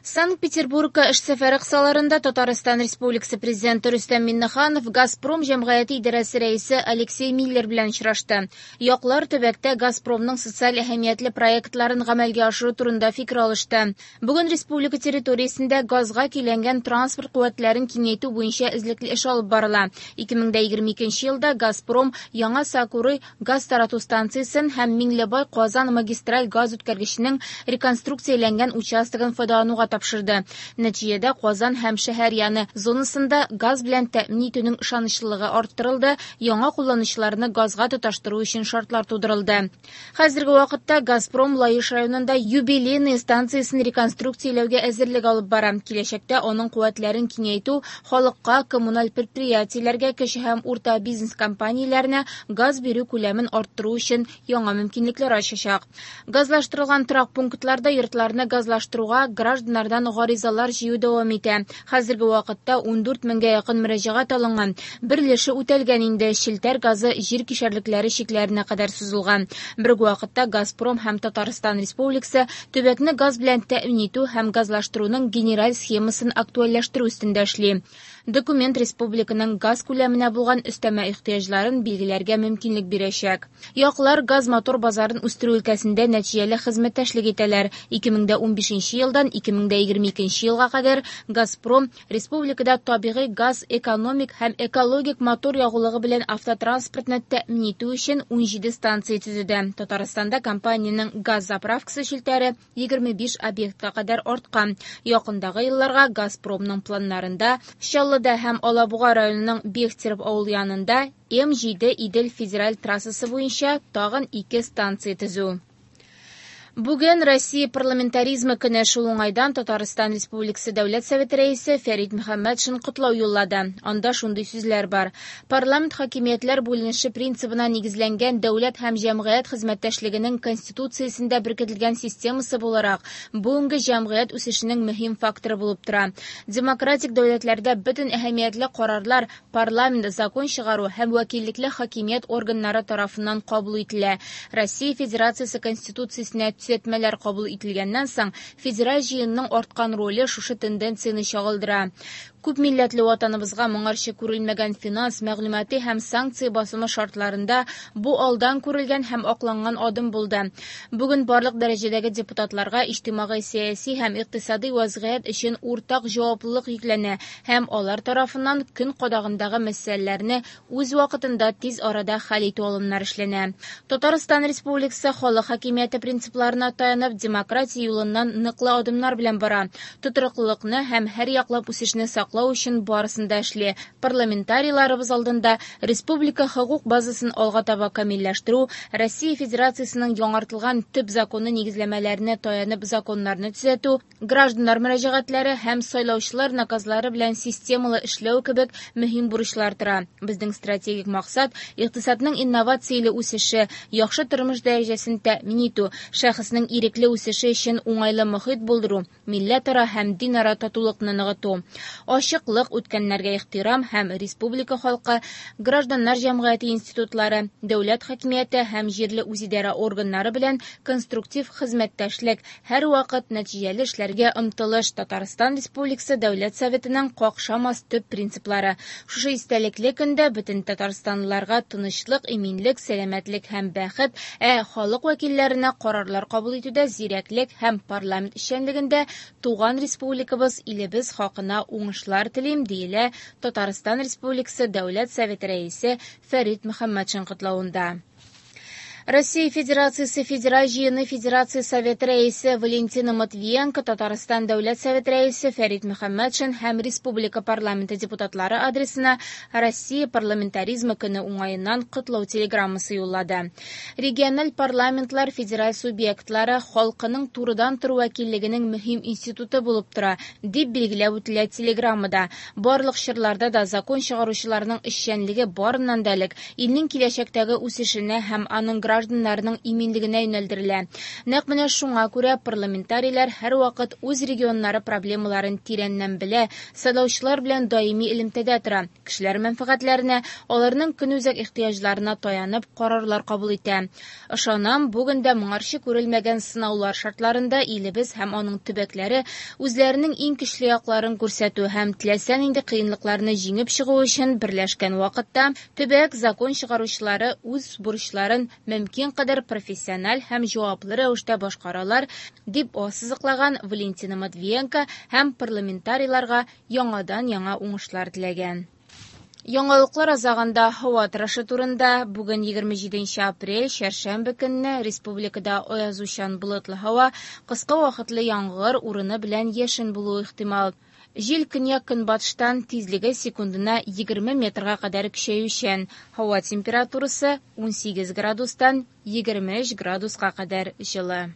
Санкт-Петербургка эш сәфәре кысаларында Татарстан Республикасы Президенты Рөстәм Миңнеханов «Газпром» җәмгыяте идарәсе рәисе Алексей Миллер белән очрашты. Яклар төбәктә «Газпром»ның социаль әһәмиятле проектларын гамәлгә ашыру турында фикер алышты. Бүген республика территориясендә газга көйләнгән транспорт куәтләрен киңәйтү буенча эзлекле эш алып барыла. 2022 елда «Газпром» Яңа Сокуры газ тарату станциясен һәм Миңлебай-Казан магистраль газ үткәргеченең реконструкцияләнгән участогын файдалануга тапшырды. Нәтиҗәдә Казан һәм шәһәр яны зонасында газ белән тәэмин итүнең ышанычлылыгы арттырылды, яңа кулланучыларны газга тоташтыру өчен шартлар тудырылды. Хәзерге вакытта «Газпром» Лаеш районында Юбилейная станциясен реконструкцияләүгә әзерлек алып бара. Киләчәктә аның куәтләрен киңәйтү халыкка, коммуналь предприятиеләргә, кече һәм урта бизнес компанияләренә газ бирү күләмен арттыру өчен яңа мөмкинлекләр ачачак. Газлаштырылган торак пунктларда йортларны газлаштыруга гражданнардан гаризалар җыю дәвам итә. Хәзерге вакытта 14 меңгә якын мөрәҗәгать алынган. Бер өлеше үтәлгән инде, челтәр газы җир кишәрлекләре чикләренә кадәр сузылган. Бер үк вакытта «Газпром» һәм Татарстан Республикасы төбәкне газ белән тәэмин итү һәм газлаштыруның генераль схемасын актуальләштерү өстендә эшли. Документ республиканың газ күләменә булган өстәмә ихтыяҗларын билгеләргә мөмкинлек бирәчәк. Яклар газ-мотор базарын үстерү өлкәсендә нәтиҗәле хезмәттәшлек итәләр. 2015 елдан 2022 елга кадәр «Газпром» республикада табигый газ экономик һәм экологик мотор ягулыгы белән автотранспортны тәэмин итү өчен 17 станция төзеде. Татарстанда компаниянең газ заправкасы челтәре 25 объектка кадәр арткан. Якындагы елларга «Газпромның» планнарында Чаллыда һәм Алабуга районының Бехтерев авыл янында М7 Идел федераль трассасы буенча тагын ике станция төзү. Бүген Россия парламентаризмы көне. Шул уңайдан Татарстан Республикасы Дәүләт Советы рәисе Фәрит Мөхәммәтшин котлау юллады. Анда шундый сүзләр бар. Парламент хакимиятләр бүленеше принцибына нигезләнгән дәүләт һәм җәмгыять хезмәттәшлегенең конституциясендә беркетелгән системасы буларак, бүгенге җәмгыять үсешенең мөһим факторы булып тора. Демократик дәүләтләрдә бөтен әһәмиятле карарлар парламент, закон чыгару һәм вәкиллекле хакимият органнары тарафыннан кабул ителә. Россия Федерациясе Конституциясенә төзәтмәләр кабул ителгәннән соң, федераль җыенның арткан роле шушы тенденцияне чагылдыра. Күп милләтле ватаныбызга моңарчы күрелмәгән финанс, мәгълүмати һәм санкция басымы шартларында бу алдан күрелгән һәм акланган адым булды. Бүген барлык дәрәҗәдәге депутатларга иҗтимагый сәяси һәм икътисади вазгыять өчен уртак җаваплылык йөкләнә һәм алар тарафыннан көн кадагындагы мәсьәләләрне үз вакытында тиз арада хәл итү алымнары эшләнә. Татарстан Республикасы халык хакимияте принципларына таянып, демократия юлыннан ныклы адымнар белән бара. Тотрыклылыкны һәм һәр яклап үсешне саклау өчен барысын да эшли. Парламентарийларыбыз алдында республика хокук базасын алга таба камилләштерү, Россия Федерациясенең яңартылган төп законы нигезләмәләренә таянып законнарны төзәтү, гражданнар мөрәҗәгатьләре һәм сайлаучылар наказлары белән системалы эшләү кебек мөһим бурычлар тора. Безнең стратегик максат икътисадның инновацияле үсеше, яхшы тормыш дәрәҗәсен тәэмин итү, шәхеснең ирекле үсеше өчен уңайлы мохит булдыру, милләтара һәм динара татулыкны ныгыту. Ачыклык, үткәннәргә ихтирам һәм республика халкы, гражданнар җәмгыяте институтлары, дәүләт хакимияте һәм җирле үзидарә органнары белән конструктив хезмәттәшлек, һәрвакыт нәтиҗәле эшләргә омтылыш Татарстан Республикасы Дәүләт Советының какшамас төп принциплары. Шушы истәлекле көндә бөтен татарстанлыларга тынычлык, иминлек, сәламәтлек һәм бәхет, ә халык вәкилләренә карарлар кабул итүдә зирәклек һәм парламент эшчәнлегендә туган республикабыз, илебез хакына уңышлар телим, диелә Татарстан Республикасы Дәүләт Советы рәисе Фәрит Мөхәммәтшин котлавында. Россия Федерациясе Федераль җыены Федерация Советы рәисе Валентина Матвиенко, Татарстан Дәүләт Советы рәисе Фәрит Мөхәммәтшин һәм республика парламенты депутатлары адресына Россия парламентаризмы көне уңаеннан котлау телеграммасы юллады. Региональ парламентлар федераль субъектлары халкының турыдан-туры вәкиллегенең мөһим институты булып тора, дип билгеләп үтелә телеграммада. Барлык чорларда да закон чыгаручыларның эшчәнлеге барыннан да элек илнең киләчәктәге үсешенә һәм аның гражданнарының иминлегенә юнәлдерелә. Нәкъ менә шуңа күрә парламентарийлар һәрвакыт үз регионнары проблемаларын тирәннән белә, сайлаучылар белән даими элемтәдә тора, кешеләр мәнфәгатьләренә, аларның көнүзәк ихтыяҗларына таянып карарлар кабул итә. Ышанам, бүген дә моңарчы күрелмәгән сынаулар шартларында илебез һәм аның төбәкләре үзләренең иң көчле якларын күрсәтү һәм теләсә нинди кыенлыкларны җиңеп чыгу өчен берләшкән вакытта төбәк закон чыгаручылары үз бурычларын мөмкин кадәр профессиональ һәм җаваплы рәвештә башкаралар, дип ассызыклаган Валентина Матвиенко һәм парламентарийларга яңадан-яңа уңышлар теләгән. Яңалыклар азагында һава торышы турында. Бүген 27 апрель, чәршәмбе көнне республикада аязучан болытлы һава, кыска вакытлы яңгыр, урыны белән яшен булуы ихтимал. Җил көньяк-көнбатыштан, тизлеге секундына 20 метрга кадәр көчәючән. Һава температурасы 18 градустан 23 градуска кадәр җылы.